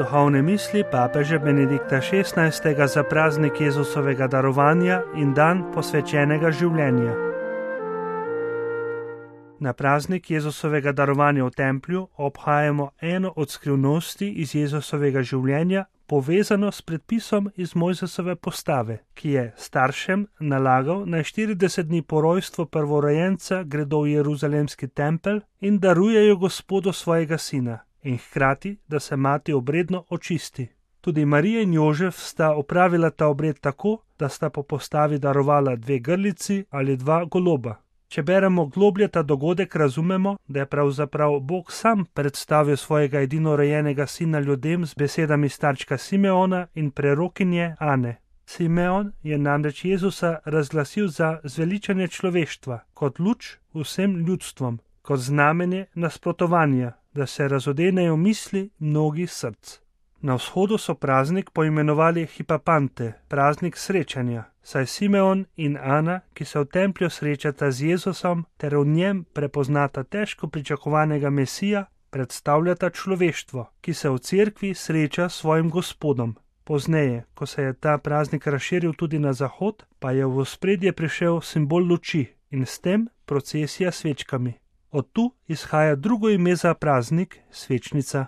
Duhovne misli papeža Benedikta XVI. Za praznik Jezusovega darovanja in dan posvečenega življenja. Na praznik Jezusovega darovanja v templju obhajamo eno od skrivnosti iz Jezusovega življenja, povezano s predpisom iz Mojzesove postave, ki je staršem nalagal, naj 40 dni po rojstvu prvorojenca gredo v Jeruzalemski tempelj in darujejo Gospodu svojega sina, in hkrati, da se mati obredno očisti. Tudi Marija in Jožef sta opravila ta obred tako, da sta po postavi darovala 2 grlici ali 2 goloba. Če beremo globlje ta dogodek, razumemo, da je pravzaprav Bog sam predstavil svojega edinorojenega sina ljudem z besedami starčka Simeona in prerokinje Ane. Simeon je namreč Jezusa razglasil za zveličanje človeštva, kot luč vsem ljudstvom, kot znamenje nasprotovanja, da se razodenejo misli mnogih src. Na vzhodu so praznik poimenovali Hipapante, praznik srečanja, saj Simeon in Ana, ki se v templju srečata z Jezusom ter v njem prepoznata težko pričakovanega Mesija, predstavljata človeštvo, ki se v cerkvi sreča s svojim Gospodom. Pozneje, ko se je ta praznik razširil tudi na zahod, pa je v ospredje prišel simbol luči in s tem procesija s svečkami. Od tu izhaja drugo ime za praznik, svečnica.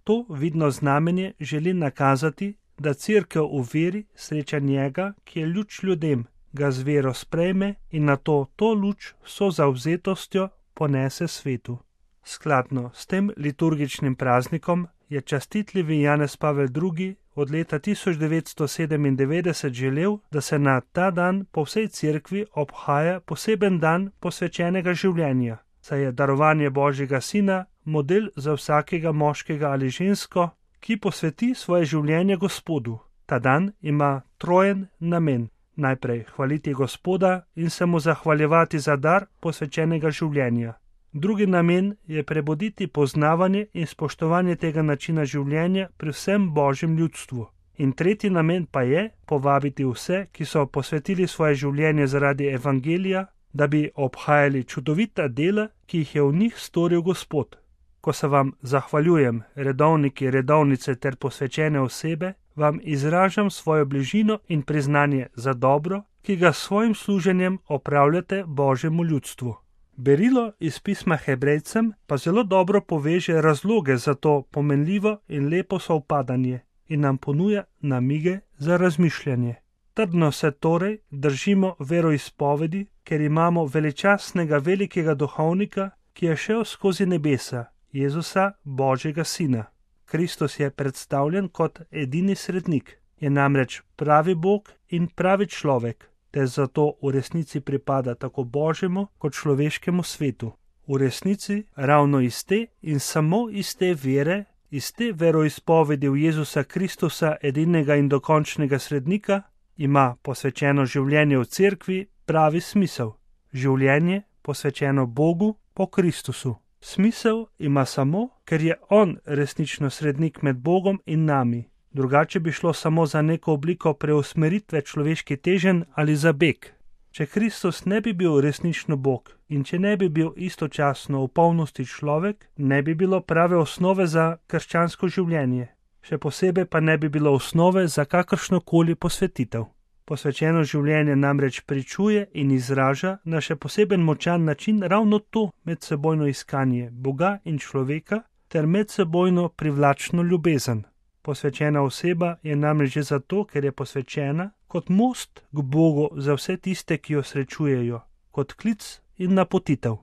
To vidno znamenje želi nakazati, da cerkev v veri sreča njega, ki je luč ljudem, ga z vero sprejme in nato to luč vso zavzetostjo ponese svetu. Skladno s tem liturgičnim praznikom je častitljivi Janez Pavel II. Od leta 1997 želel, da se na ta dan po vsej cerkvi obhaja poseben dan posvečenega življenja, saj je darovanje Božjega sina model za vsakega moškega ali žensko, ki posveti svoje življenje Gospodu. Ta dan ima trojen namen. Najprej hvaliti Gospoda in se mu zahvaljevati za dar posvečenega življenja. Drugi namen je prebuditi poznavanje in spoštovanje tega načina življenja pri vsem Božjem ljudstvu. In tretji namen pa je povabiti vse, ki so posvetili svoje življenje zaradi evangelija, da bi obhajali čudovita dela, ki jih je v njih storil Gospod. Ko se vam zahvaljujem, redovniki, redovnice ter posvečene osebe, vam izražam svojo bližino in priznanje za dobro, ki ga s svojim služenjem opravljate Božjemu ljudstvu. Berilo iz pisma Hebrejcem pa zelo dobro poveže razloge za to pomenljivo in lepo sovpadanje in nam ponuja namige za razmišljanje. Trdno se torej držimo veroizpovedi, ker imamo veličastnega velikega duhovnika, ki je šel skozi nebesa, Jezusa, Božjega sina. Kristus je predstavljen kot edini srednik, je namreč pravi Bog in pravi človek, te zato v resnici pripada tako Božjemu kot človeškemu svetu. V resnici ravno iz te in samo iz te vere, iz te veroizpovedi v Jezusa Kristusa, edinega in dokončnega srednika, ima posvečeno življenje v cerkvi pravi smisel. Življenje posvečeno Bogu po Kristusu. Smisel ima samo, ker je on resnično srednik med Bogom in nami. Drugače bi šlo samo za neko obliko preusmeritve človeških teženj ali za beg. Če Kristus ne bi bil resnično Bog in če ne bi bil istočasno v polnosti človek, ne bi bilo prave osnove za krščansko življenje. Še posebej pa ne bi bilo osnove za kakršnokoli posvetitev. Posvečeno življenje namreč pričuje in izraža na še poseben močan način ravno to medsebojno iskanje Boga in človeka ter medsebojno privlačno ljubezen. Posvečena oseba je namreč že zato, ker je posvečena kot most k Bogu za vse tiste, ki jo srečujejo, kot klic in napotitev.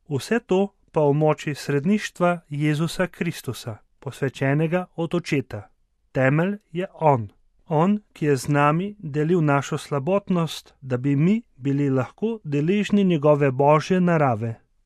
Vse to pa v moči sredništva Jezusa Kristusa, posvečenega od Očeta. Temelj je On. On, ki je z nami delil našo slabotnost, da bi mi bili lahko deležni njegove Božje narave.